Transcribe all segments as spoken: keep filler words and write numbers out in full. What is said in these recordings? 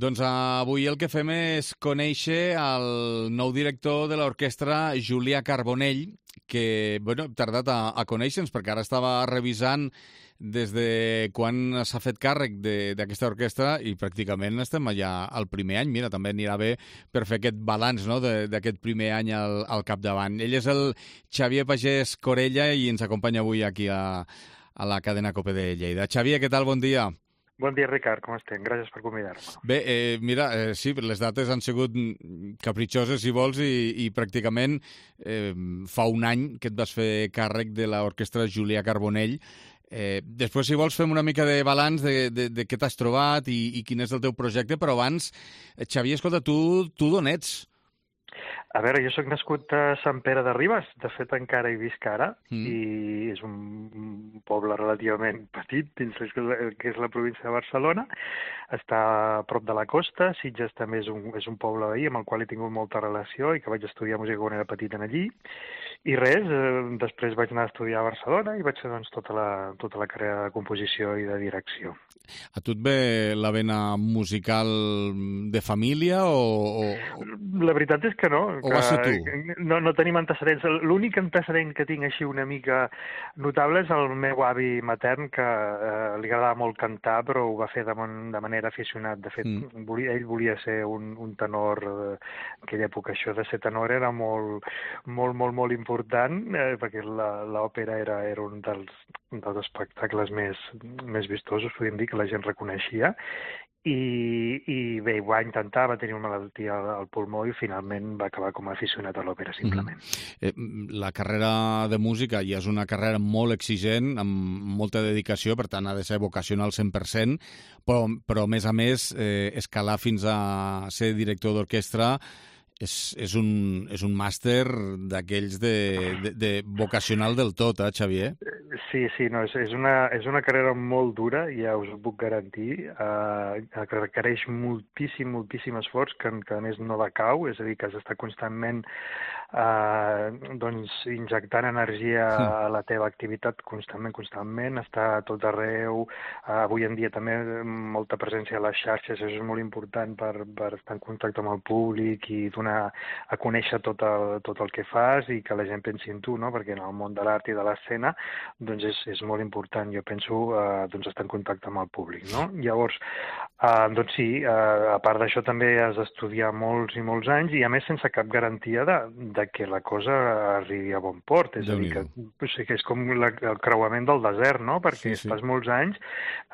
Doncs avui el que fem és conèixer el nou director de l'orquestra, Julià Carbonell, que bueno, hem tardat a, a conèixer-nos perquè ara estava revisant des de quan s'ha fet càrrec d'aquesta orquestra i pràcticament estem allà al primer any. Mira, també anirà bé per fer aquest balanç, no?, d'aquest primer any al, al capdavant. Ell és el Xavier Pagès Corella i ens acompanya avui aquí a, a la cadena COPE de Lleida. Xavier, què tal? Bon dia. Bon dia, Ricard, com estem? Gràcies per convidar-me. Bé, eh, mira, eh, sí, les dates han sigut capritxoses, si vols, i, i pràcticament eh, fa un any que et vas fer càrrec de l'orquestra Julià Carbonell. Eh, després, si vols, fem una mica de balanç de, de, de què t'has trobat i, i quin és el teu projecte, però abans, Xavier, escolta, tu, tu d'on ets? A veure, jo sóc nascut a Sant Pere de Ribes, de fet encara hi visc ara, mm. i és un poble relativament petit dins el que és la província de Barcelona, està a prop de la costa. Sitges també és un, és un poble veí amb el qual he tingut molta relació i que vaig estudiar música quan era petit en allí, i res, eh, després vaig anar a estudiar a Barcelona i vaig fer doncs, tota, la, tota la carrera de composició i de direcció. A tu et ve la vena musical de família o...? o... La veritat és que no. O vas ser tu? No, no tenim antecedents. L'únic antecedent que tinc així una mica notable és el meu avi matern, que eh, li agradava molt cantar, però ho va fer de, de manera aficionat. De fet, mm. volia, ell volia ser un, un tenor. Eh, en aquella època això de ser tenor era molt, molt, molt, molt important, eh, perquè l'òpera era, era un dels, dels espectacles més, més vistosos, podríem dir, que la gent reconeixia. I, i bé, va intentar, va tenir una malaltia al, al pulmó i finalment va acabar com a aficionat a l'òpera, simplement. Mm-hmm. eh, la carrera de música ja és una carrera molt exigent, amb molta dedicació, per tant ha de ser vocacional al cent per cent, però, però a més a més, eh, escalar fins a ser director d'orquestra és, és, un, és un màster d'aquells de, de, de vocacional del tot, eh, Xavier? Sí, sí, no, és, és, una, és una carrera molt dura, ja us ho puc garantir, eh, que requereix moltíssim, moltíssim esforç, que, que a més no decau, és a dir, que has d'estar constantment eh, doncs, injectant energia a la teva activitat constantment, constantment, està a tot arreu, eh, avui en dia també molta presència a les xarxes, això és molt important per, per estar en contacte amb el públic i donar a conèixer tot el, tot el que fas i que la gent pensi en tu, no? Perquè en el món de l'art i de l'escena doncs és, és molt important, jo penso, eh, doncs estar en contacte amb el públic, no? Llavors, eh, doncs sí, eh, a part d'això també has d'estudiar molts i molts anys i a més sense cap garantia de, de que la cosa arribi a bon port, és a dir, que, o sigui, que és com la, el creuament del desert, no? Perquè sí, sí. estàs molts anys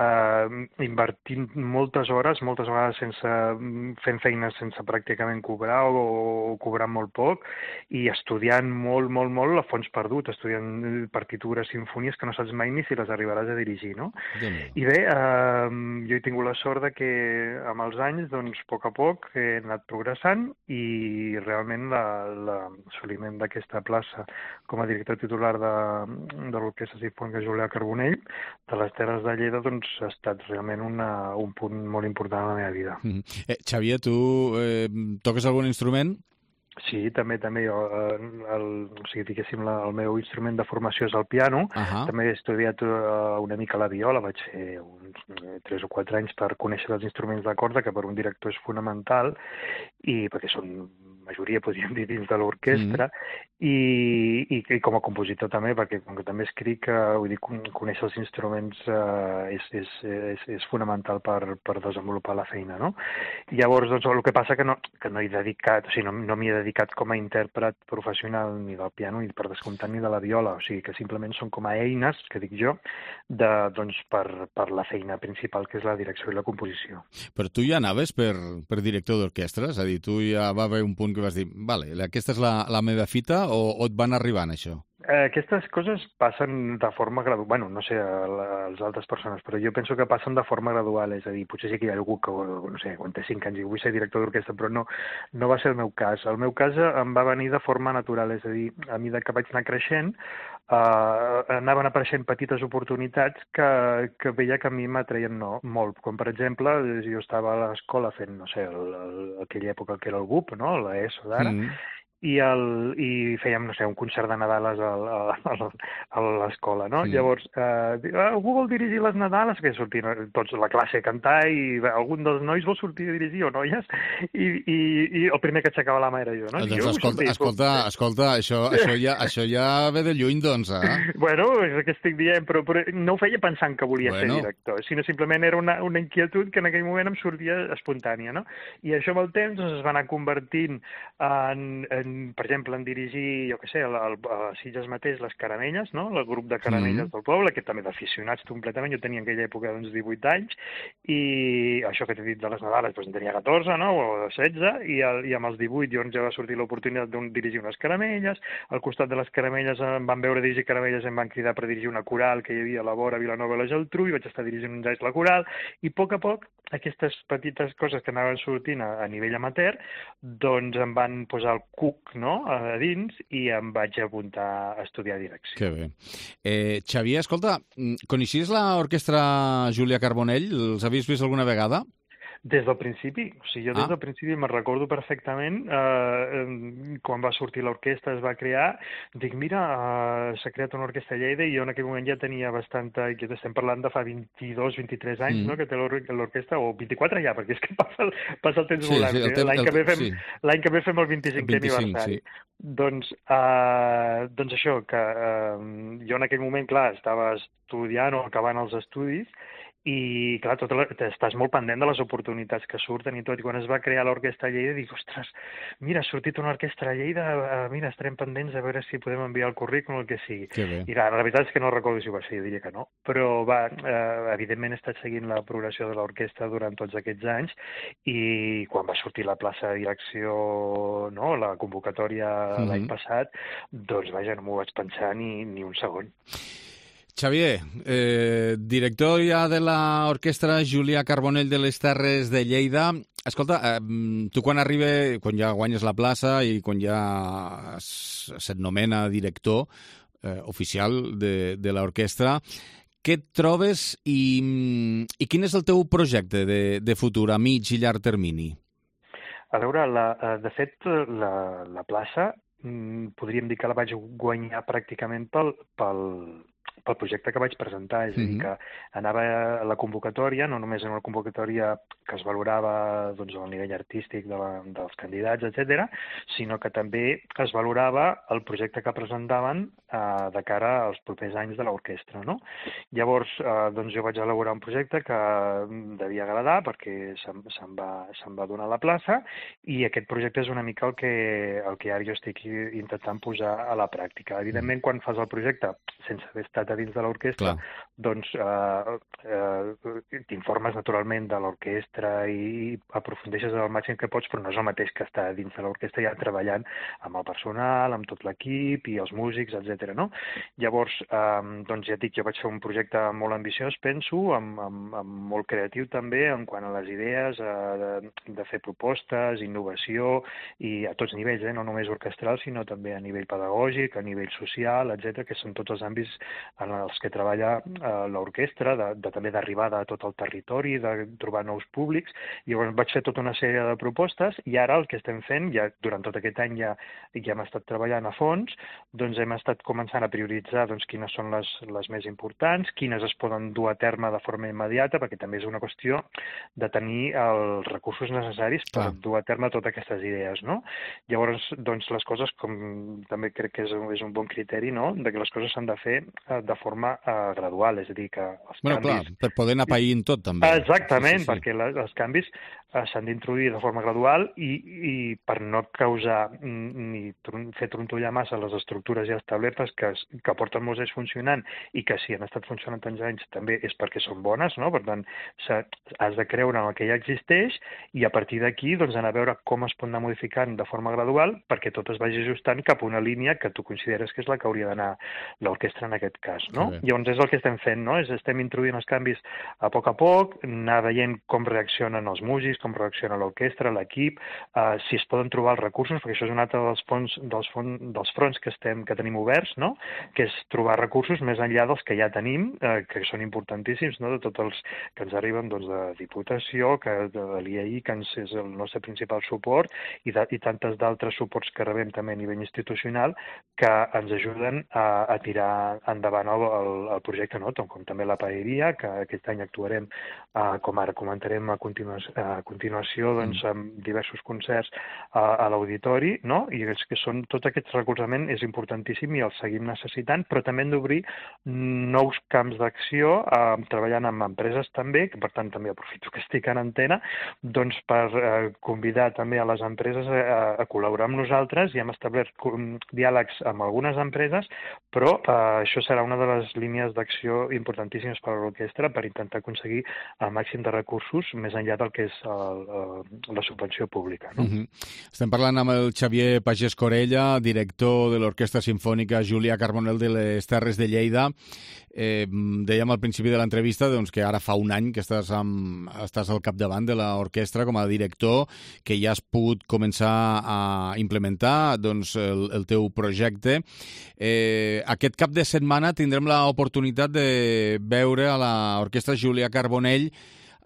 eh, invertint moltes hores, moltes vegades sense, fent feines sense pràcticament cobrar o, o cobrant molt poc i estudiant molt, molt, molt a fons perdut, estudiant partitures, sinfonies que no saps mai ni si les arribaràs a dirigir, no? I bé, eh, jo he tingut la sort de que amb els anys, doncs, a poc a poc he anat progressant i realment l'assoliment d'aquesta plaça com a director titular de, de l'Orquestra Simfònica Julià Carbonell de les Terres de Lleida, doncs, ha estat realment una, un punt molt important en la meva vida. Mm-hmm. eh, Xavier, tu eh, toques algun instrument? Sí, també, també jo, el, o sigui, diguéssim, la, el meu instrument de formació és el piano. Uh-huh. També he estudiat uh, una mica la viola, vaig fer uns tres o quatre anys per conèixer els instruments de corda, que per un director és fonamental, i perquè són majoria, podríem dir, dins de l'orquestra, mm. i, i, i com a compositor també, perquè com que també escric, uh, vull dir, conèixer els instruments uh, és, és, és, és fonamental per, per desenvolupar la feina, no? Llavors, doncs, el que passa que no, que no he dedicat, o sigui, no, no m'hi he dedicat com a intèrpret professional ni del piano ni per descomptat ni de la viola, o sigui que simplement són com a eines, que dic jo, de, doncs, per, per la feina principal, que és la direcció i la composició. Però tu ja anaves per, per director d'orquestra? És a dir, tu ja va haver un punt que vas dir, vale, aquesta és la, la meva fita, o, o et van arribant això? Aquestes coses passen de forma gradual, bueno, no sé, a les altres persones, però jo penso que passen de forma gradual, és a dir, potser sí que hi ha algú que, no sé, quan té cinc anys i vull ser director d'orquestra, però no, no va ser el meu cas. El meu cas em va venir de forma natural, és a dir, a mesura que vaig anar creixent, eh, anaven apareixent petites oportunitats que, que veia que a mi m'atreien no, molt, com per exemple, jo estava a l'escola fent, no sé, el, el, aquella època que era el B U P, no?, l'ESO d'ara, mm. i, el, i fèiem, no sé, un concert de Nadales a, a, a l'escola, no? Sí. Llavors, eh, algú vol dirigir les Nadales? Que sortien tots la classe a cantar i algun dels nois vol sortir a dirigir, o noies? I, i, i el primer que aixecava la mà era jo, no? Doncs jo escolta, escolta, escolta, això, això, ja, això ja ve de lluny, doncs, eh? Bueno, és el que estic dient, però, però no ho feia pensant que volia bueno. ser director, sinó simplement era una, una inquietud que en aquell moment em sortia espontània, no? I això amb el temps doncs, es va anar convertint en, en, per exemple, en dirigir, jo què sé, a, a Sitges mateix, les Caramelles, no? El grup de Caramelles mm. del poble, que també d'aficionats completament, jo tenia en aquella època doncs, divuit anys, i això que t'he dit de les Nadales, doncs en tenia catorze, no? O setze, i, el, i amb els divuit doncs, ja va sortir l'oportunitat de dirigir unes Caramelles, al costat de les Caramelles em van veure dirigir Caramelles, em van cridar per dirigir una coral que hi havia a la vora, a Vilanova i la Geltrú, i vaig estar dirigint uns anys la coral, i a poc a poc aquestes petites coses que anaven sortint a, a nivell amateur, doncs em van posar el cuc, no?, a dins, i em vaig apuntar a estudiar direcció. Que bé. Eh, Xavier, escolta, coneixies l'orquestra Júlia Carbonell? Els havies vist alguna vegada? Des del principi, o sigui, jo des ah. del principi me'n recordo perfectament, eh, quan va sortir l'orquestra, es va crear, dic, mira, eh, s'ha creat una orquestra a Lleida i jo en aquell moment ja tenia bastanta, que estem parlant de fa vint-i-dos, vint-i-tres anys, mm. no?, que té l'orquestra, o vint-i-quatre ja, perquè és que passa el, passa el temps sí, volant. Sí, eh? L'any que, sí. que ve fem el vint-i-cinquè aniversari. Sí. Doncs, eh, doncs això, que eh, jo en aquell moment, clar, estava estudiant o acabant els estudis, i, clar, tot la, estàs molt pendent de les oportunitats que surten i tot. I quan es va crear l'Orquestra a Lleida, dic, ostres, mira, ha sortit una orquestra a Lleida, uh, mira, estarem pendents a veure si podem enviar el currículum o el que sigui. I, clar, la veritat és que no recordo si ho va ser, jo diria que no. Però, va, uh, evidentment he estat seguint la progressió de l'orquestra durant tots aquests anys i quan va sortir la plaça de direcció, no?, la convocatòria mm-hmm. l'any passat, doncs, vaja, no m'ho vaig pensar ni, ni un segon. Xavier, eh, director ja de l'orquestra Júlia Carbonell de les Terres de Lleida. Escolta, eh, tu quan arriba, quan ja guanyes la plaça i quan ja se't nomena director eh, oficial de, de l'orquestra, què et trobes i, i quin és el teu projecte de, de futur a mig i llarg termini? A veure, la, de fet, la, la plaça podríem dir que la vaig guanyar pràcticament pel, pel, pel projecte que vaig presentar, és a dir, que anava a la convocatòria, no només en una convocatòria que es valorava doncs, el nivell artístic de la, dels candidats, etcètera, sinó que també es valorava el projecte que presentaven eh, de cara als propers anys de l'orquestra, no? Llavors, eh, doncs jo vaig elaborar un projecte que devia agradar perquè se'm, se'm, va, se'm va donar la plaça i aquest projecte és una mica el que, el que ara jo estic intentant posar a la pràctica. Evidentment, quan fas el projecte sense haver estat a dins de l'orquestra, doncs eh, eh, t'informes naturalment de l'orquestra i aprofundeixes el màxim que pots, però no és el mateix que estar dins de l'orquestra ja treballant amb el personal, amb tot l'equip i els músics, etcètera. No? Llavors, eh, doncs ja dic, jo vaig fer un projecte molt ambiciós, penso, amb, amb, amb molt creatiu també, en quant a les idees, eh, de, de fer propostes, innovació, i a tots nivells, eh, no només orquestral, sinó també a nivell pedagògic, a nivell social, etcètera, que són tots els àmbits en els que treballa eh, l'orquestra, de, de, també d'arribada a tot el territori, de trobar nous públics. Llavors vaig fer tota una sèrie de propostes i ara el que estem fent, ja durant tot aquest any ja, ja hem estat treballant a fons, doncs hem estat començant a prioritzar doncs, quines són les, les més importants, quines es poden dur a terme de forma immediata, perquè també és una qüestió de tenir els recursos necessaris per ah. dur a terme totes aquestes idees, no? Llavors, doncs, les coses, com també crec que és un, és un bon criteri, no?, de que les coses s'han de fer de forma uh, gradual, és a dir, que els bueno, canvis... clar, per poder anar païnt tot, també. Exactament, sí, sí, sí. perquè la, els canvis uh, s'han d'introduir de forma gradual i, i per no causar ni tron fer trontollar massa les estructures ja establertes que, que porten molts anys funcionant i que si han estat funcionant tants anys també és perquè són bones, no? Per tant, has de creure en el que ja existeix i a partir d'aquí doncs, anar a veure com es pot anar modificant de forma gradual perquè tot es vagi ajustant cap a una línia que tu consideres que és la que hauria d'anar l'orquestra en aquest cas, no? Llavors és el que estem fent, no? És estem introduint els canvis a poc a poc, anar veient com reaccionen els músics, vist com reacciona l'orquestra, l'equip, eh, si es poden trobar els recursos, perquè això és un altre dels, fons, dels, fons, dels fronts que, estem, que tenim oberts, no? Que és trobar recursos més enllà dels que ja tenim, eh, que són importantíssims, no? De tots els que ens arriben doncs, de Diputació, que de l'I A I, que ens és el nostre principal suport, i, de, i tantes d'altres suports que rebem també a nivell institucional, que ens ajuden a, a tirar endavant el, el, el projecte, no? Com també la paeria, que aquest any actuarem, eh, com ara comentarem a continuació, a continuació doncs, amb diversos concerts a, a l'auditori, no? I és que són, tot aquest recolzament és importantíssim i el seguim necessitant, però també hem d'obrir nous camps d'acció, eh, treballant amb empreses també, que per tant també aprofito que estic en antena, doncs per eh, convidar també a les empreses a, a col·laborar amb nosaltres, i hem establert diàlegs amb algunes empreses, però eh, això serà una de les línies d'acció importantíssimes per a l'orquestra per intentar aconseguir el màxim de recursos més enllà del que és el, el, la subvenció pública. No? Uh-huh. Estem parlant amb el Xavier Pagès Corella, director de l'Orquestra Simfònica Julià Carbonell de les Terres de Lleida. Eh, dèiem al principi de l'entrevista doncs, que ara fa un any que estàs, amb, estàs al capdavant de l'orquestra com a director, que ja has pogut començar a implementar doncs, el, el teu projecte. Eh, aquest cap de setmana tindrem l'oportunitat de veure a l'Orquestra Julià Carbonell,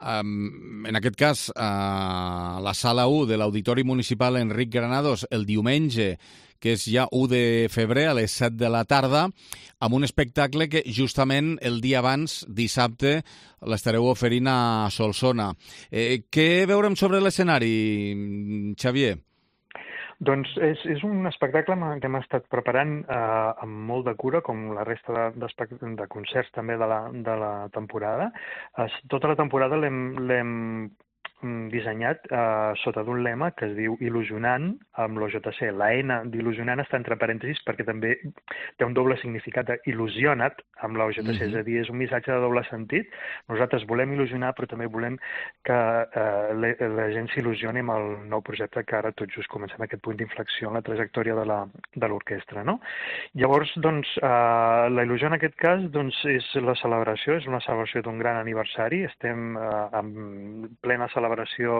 Um, en aquest cas, a la sala u de l'Auditori Municipal Enric Granados, el diumenge, que és ja u de febrer, a les set de la tarda, amb un espectacle que justament el dia abans, dissabte, l'estareu oferint a Solsona. Eh, què veurem sobre l'escenari, Xavier? Doncs és, és un espectacle que hem estat preparant eh, amb molt de cura, com la resta de, de, de concerts també de la, de la temporada. Eh, tota la temporada l'hem dissenyat eh, sota d'un lema que es diu il·lusionant amb l'O J C. La N d'il·lusionant està entre parèntesis perquè també té un doble significat d'il·lusiona't amb l'O J C, mm-hmm. és a dir, és un missatge de doble sentit. Nosaltres volem il·lusionar, però també volem que eh, la, la gent s'il·lusioni amb el nou projecte que ara tot just comencem aquest punt d'inflexió en la trajectòria de la, de l'orquestra, no? Llavors, doncs, eh, la il·lusió en aquest cas doncs, és la celebració, és una celebració d'un gran aniversari. Estem eh, en plena celebració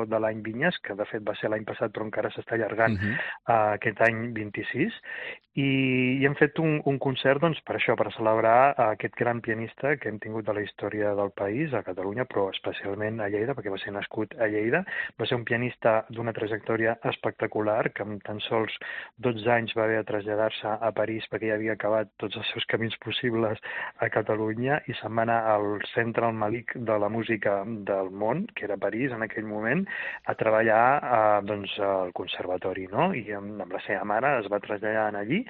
de l'any Vinyes, que de fet va ser l'any passat però encara s'està allargant uh-huh. uh, aquest any vint-i-sis, i, i hem fet un, un concert doncs, per això, per celebrar aquest gran pianista que hem tingut de la història del país, a Catalunya, però especialment a Lleida, perquè va ser nascut a Lleida. Va ser un pianista d'una trajectòria espectacular, que amb tan sols dotze anys va haver de traslladar-se a París perquè ja havia acabat tots els seus camins possibles a Catalunya i se'n va anar al centre, al malic de la música del món, que era París en aquell moment, a treballar eh, doncs, al conservatori, no? I amb, amb la seva mare es va traslladar allí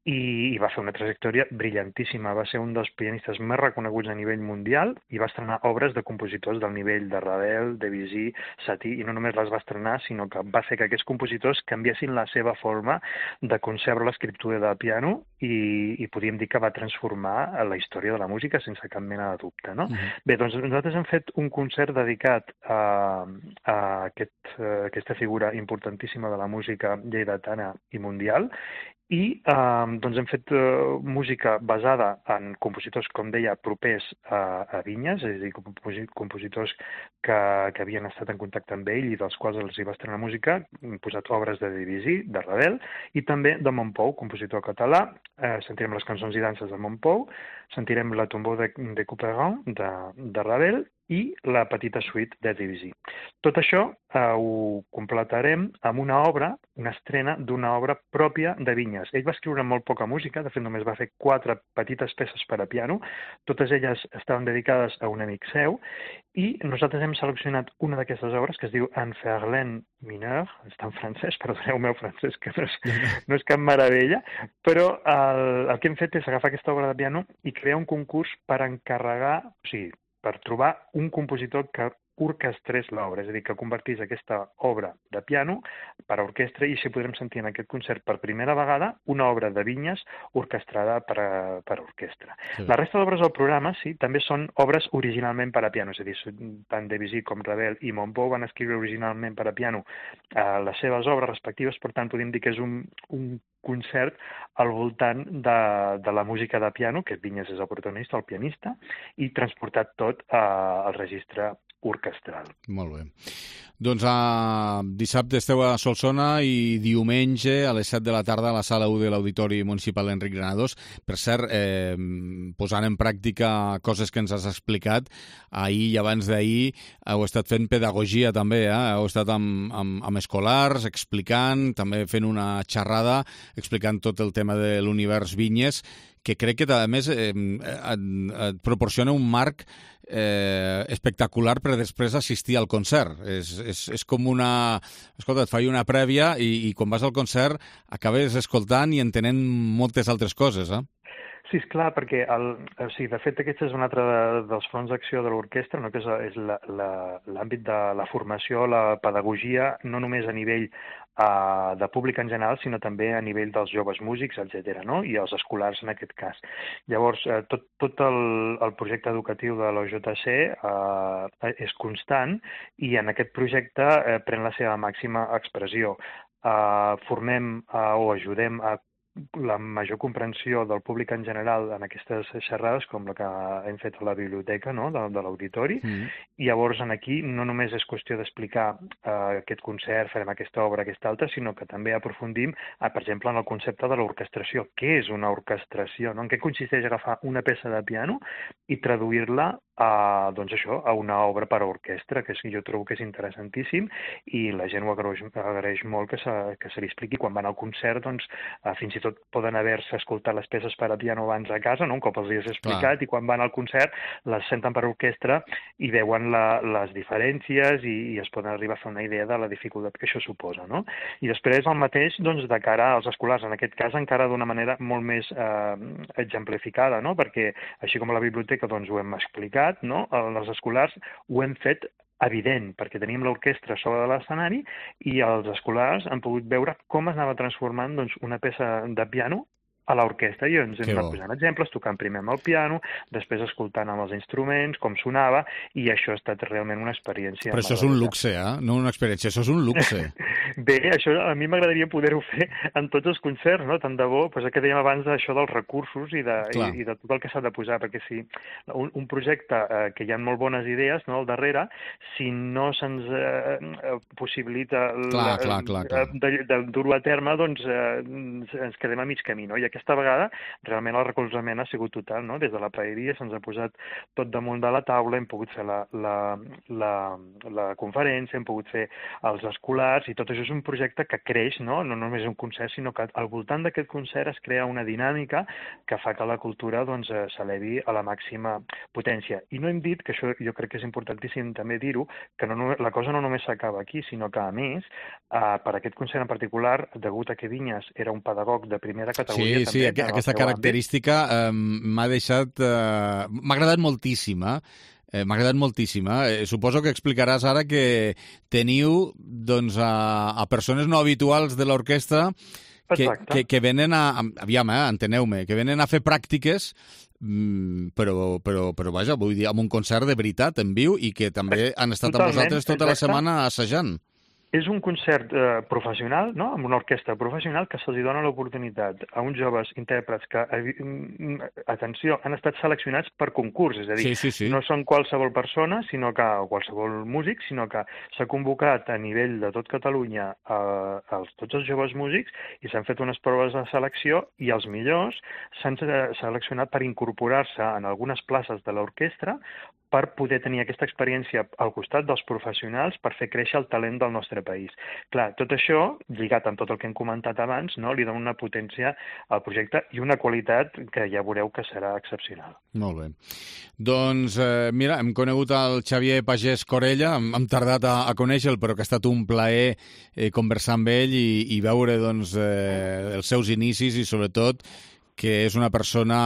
i, i va fer una trajectòria brillantíssima. Va ser un dels pianistes més reconeguts a nivell mundial i va estrenar obres de compositors del nivell de Ravel, Debussy, Satie, i no només les va estrenar, sinó que va fer que aquests compositors canviessin la seva forma de concebre l'escriptura de piano i, i podríem dir que va transformar la història de la música sense cap mena de dubte, no? Mm-hmm. Bé, doncs nosaltres hem fet un concert dedicat a, a, aquest, a aquesta figura importantíssima de la música lleidatana i mundial, i eh, doncs hem fet eh, música basada en compositors, com deia, propers a, a Vinyes, és a dir, compositors que, que havien estat en contacte amb ell i dels quals els hi va estrenar música. Hem posat obres de Debussy, de Ravel, i també de Montpou, compositor català. Eh, sentirem les cançons i danses de Montpou, sentirem la Tombeau de, de Couperin, de, de Ravel, i la petita suite de Debussy. Tot això eh, ho completarem amb una obra, una estrena d'una obra pròpia de Vinyes. Ell va escriure molt poca música, de fet només va fer quatre petites peces per a piano, totes elles estaven dedicades a un amic seu, i nosaltres hem seleccionat una d'aquestes obres que es diu En Verlaine mineur, està en francès, perdoneu el meu francès, que no és, no és cap meravella, però el, el que hem fet és agafar aquesta obra de piano i crear un concurs per encarregar, o sigui, per trobar un compositor que orquestrés l'obra, és a dir, que convertís aquesta obra de piano per a orquestra, i així podrem sentir en aquest concert per primera vegada una obra de Vinyes orquestrada per a, per a orquestra. Sí. La resta d'obres del programa, sí, també són obres originalment per a piano, és a dir, tant Debussy com Ravel i Montpou van escriure originalment per a piano eh, les seves obres respectives, per tant, podem dir que és un, un concert al voltant de, de la música de piano, que Vinyes és el protagonista, el pianista, i transportat tot eh, al registre orquestral. Molt bé. Doncs a dissabte esteu a Solsona i diumenge a les set de la tarda a la sala u de l'Auditori Municipal Enric Granados. Per cert, eh, posant en pràctica coses que ens has explicat, ahir i abans d'ahir heu estat fent pedagogia també, eh? Heu estat amb, amb, amb escolars explicant, també fent una xerrada explicant tot el tema de l'univers vinyes, que crec que a més eh, et, et proporciona un marc eh, espectacular per després assistir al concert. És, és, és com una... Escolta, et faig una prèvia i, i quan vas al concert acabes escoltant i entenent moltes altres coses, eh? Sí, és clar, perquè el, o sigui, de fet aquest és un altre de, dels fronts d'acció de l'orquestra, no? Que és, és l'àmbit de la formació, la pedagogia, no només a nivell uh, de públic en general, sinó també a nivell dels joves músics, etcètera, no? I els escolars en aquest cas. Llavors, eh, tot, tot el, el projecte educatiu de l'O J C eh, és constant i en aquest projecte eh, pren la seva màxima expressió. Eh, formem eh, o ajudem a la major comprensió del públic en general en aquestes xerrades, com la que hem fet a la biblioteca, no?, de, de l'auditori. Mm. I llavors aquí no només és qüestió d'explicar eh, aquest concert, farem aquesta obra, aquesta altra, sinó que també aprofundim, eh, per exemple, en el concepte de l'orquestració. Què és una orquestració? No? En què consisteix agafar una peça de piano i traduir-la a, doncs això, a una obra per a orquestra, que és, jo trobo que és interessantíssim i la gent ho agraeix, agraeix molt que se, que se li expliqui. Quan van al concert, doncs, eh, fins i tot poden haver-se escoltat les peces per a piano abans a casa, no? Un cop els hi has explicat, clar. I quan van al concert les senten per orquestra i veuen la, les diferències i, i es poden arribar a fer una idea de la dificultat que això suposa, no? I després el mateix, doncs, de cara als escolars, en aquest cas encara d'una manera molt més eh, exemplificada, no? Perquè així com a la biblioteca doncs, ho hem explicat, no? Els escolars ho hem fet evident, perquè teníem l'orquestra sobre de l'escenari i els escolars han pogut veure com es anava transformant, doncs, una peça de piano a l'orquestra, i ens hem anat posant exemples, tocant primer amb el piano, després escoltant amb els instruments, com sonava, i això ha estat realment una experiència. Però això és un luxe, eh? No una experiència, això és un luxe. Bé, això a mi m'agradaria poder-ho fer en tots els concerts, no? Tant de bo, doncs que dèiem abans d'això dels recursos i de, i, i de tot el que s'ha de posar, perquè si un, un projecte eh, que hi ha molt bones idees, no?, al darrere, si no se'ns eh, possibilita clar, clar, clar, clar. de, de dur-ho a terme, doncs eh, ens quedem a mig camí, no? I aquesta vegada realment el recolzament ha sigut total, no? Des de la paeria se'ns ha posat tot damunt de la taula, hem pogut fer la, la, la, la conferència, hem pogut fer els escolars, i tot això és un projecte que creix, no? No només un concert, sinó que al voltant d'aquest concert es crea una dinàmica que fa que la cultura doncs, s'elevi a la màxima potència. I no hem dit, que això jo crec que és importantíssim també dir-ho, que no, la cosa no només s'acaba aquí, sinó que a més, eh, per aquest concert en particular, degut a que Vinyes era un pedagog de primera categoria, sí, sí, aquesta característica eh, m'ha deixat... Eh, m'ha agradat moltíssim, eh? Eh, m'ha agradat moltíssim. Eh? Suposo que explicaràs ara que teniu doncs, a, a persones no habituals de l'orquestra que, que, que venen a... Aviam, eh, enteneu-me, que venen a fer pràctiques, però, però, però vaja, vull dir, amb un concert de veritat en viu i que també han estat Totalment, amb vosaltres tota exacte. La setmana assajant. És un concert eh, professional, no?, amb una orquestra professional, que se'ls dona l'oportunitat a uns joves intèrprets que, eh, atenció, han estat seleccionats per concurs, és a dir, sí, sí, sí. no són qualsevol persona, sinó que, o qualsevol músic, sinó que s'ha convocat a nivell de tot Catalunya eh, els, tots els joves músics i s'han fet unes proves de selecció i els millors s'han seleccionat per incorporar-se en algunes places de l'orquestra per poder tenir aquesta experiència al costat dels professionals per fer créixer el talent del nostre país. Clar, tot això, lligat amb tot el que hem comentat abans, no, li dona una potència al projecte i una qualitat que ja veureu que serà excepcional. Molt bé. Doncs, eh, mira, hem conegut el Xavier Pagès Corella, hem, hem tardat a, a conèixer-lo, però que ha estat un plaer eh, conversar amb ell i, i veure doncs, eh, els seus inicis i, sobretot, que és una persona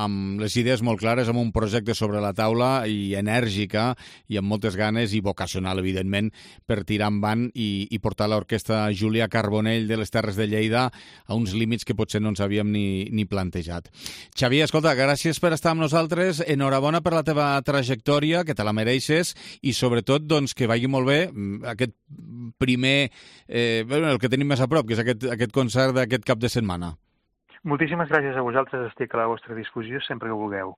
amb les idees molt clares, amb un projecte sobre la taula i enèrgica i amb moltes ganes i vocacional, evidentment, per tirar endavant i, i portar l'orquestra Julià Carbonell de les Terres de Lleida a uns límits que potser no ens havíem ni, ni plantejat. Xavier, escolta, gràcies per estar amb nosaltres, enhorabona per la teva trajectòria, que te la mereixes, i sobretot doncs, que vagi molt bé aquest primer, eh, el que tenim més a prop, que és aquest, aquest concert d'aquest cap de setmana. Moltíssimes gràcies a vosaltres, estic a la vostra disposició sempre que vulgueu.